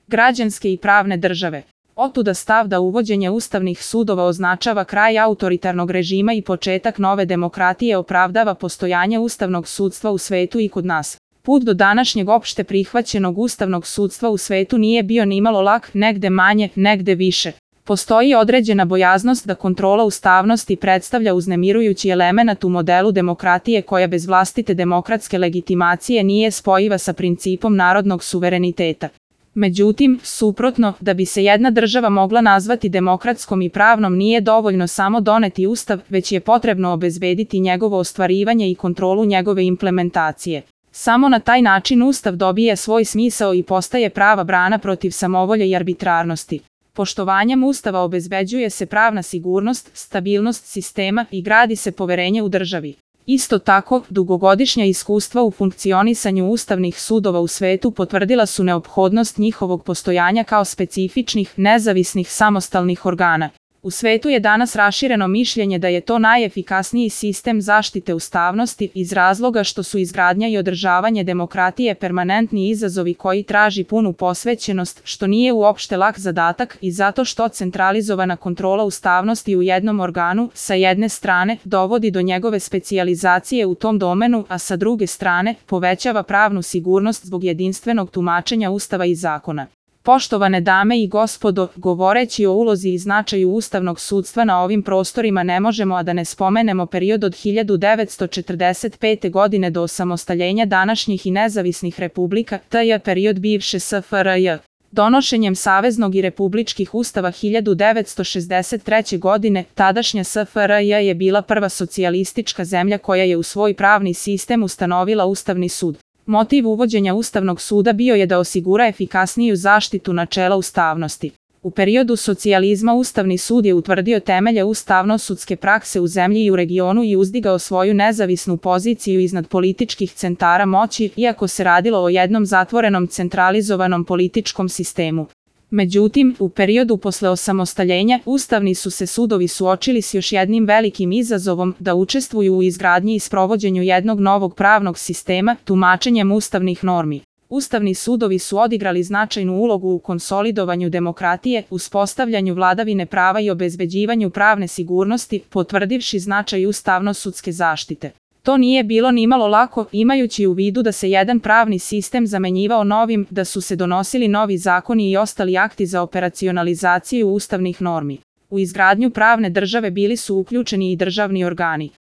građanske i pravne države. Otuda stav da uvođenje ustavnih sudova označava kraj autoritarnog režima i početak nove demokratije opravdava postojanje ustavnog sudstva u svetu i kod nas. Put do današnjeg opšte prihvaćenog ustavnog sudstva u svetu nije bio nimalo lak, negde manje, negde više. Postoji određena bojaznost da kontrola ustavnosti predstavlja uznemirujući element u modelu demokratije koja bez vlastite demokratske legitimacije nije spojiva sa principom narodnog suvereniteta. Međutim, suprotno, da bi se jedna država mogla nazvati demokratskom i pravnom nije dovoljno samo doneti ustav, već je potrebno obezbediti njegovo ostvarivanje i kontrolu njegove implementacije. Samo na taj način ustav dobije svoj smisao i postaje prava brana protiv samovolje i arbitrarnosti. Poštovanjem ustava obezbeđuje se pravna sigurnost, stabilnost sistema i gradi se poverenje u državi. Isto tako, dugogodišnja iskustva u funkcionisanju ustavnih sudova u svetu potvrdila su neophodnost njihovog postojanja kao specifičnih, nezavisnih, samostalnih organa. U svetu je danas rašireno mišljenje da je to najefikasniji sistem zaštite ustavnosti iz razloga što su izgradnja i održavanje demokratije permanentni izazovi koji traži punu posvećenost, što nije uopšte lak zadatak i zato što centralizovana kontrola ustavnosti u jednom organu, sa jedne strane, dovodi do njegove specijalizacije u tom domenu, a sa druge strane, povećava pravnu sigurnost zbog jedinstvenog tumačenja ustava i zakona. Poštovane dame i gospodo, govoreći o ulozi i značaju ustavnog sudstva na ovim prostorima ne možemo a da ne spomenemo period od 1945. godine do osamostaljenja današnjih i nezavisnih republika, tj. period bivše SFRJ. Donošenjem saveznog i republičkih ustava 1963. godine, tadašnja SFRJ je bila prva socijalistička zemlja koja je u svoj pravni sistem ustanovila Ustavni sud. Motiv uvođenja Ustavnog suda bio je da osigura efikasniju zaštitu načela ustavnosti. U periodu socijalizma Ustavni sud je utvrdio temelje ustavno-sudske prakse u zemlji i u regionu i uzdigao svoju nezavisnu poziciju iznad političkih centara moći, iako se radilo o jednom zatvorenom centralizovanom političkom sistemu. Međutim, u periodu posle osamostaljenja, ustavni su se sudovi suočili s još jednim velikim izazovom da učestvuju u izgradnji i sprovođenju jednog novog pravnog sistema, tumačenjem ustavnih normi. Ustavni sudovi su odigrali značajnu ulogu u konsolidovanju demokratije, uspostavljanju vladavine prava i obezbeđivanju pravne sigurnosti, potvrdivši značaj ustavno-sudske zaštite. To nije bilo nimalo lako, imajući u vidu da se jedan pravni sistem zamenjivao novim, da su se donosili novi zakoni i ostali akti za operacionalizaciju ustavnih normi. U izgradnju pravne države bili su uključeni i državni organi.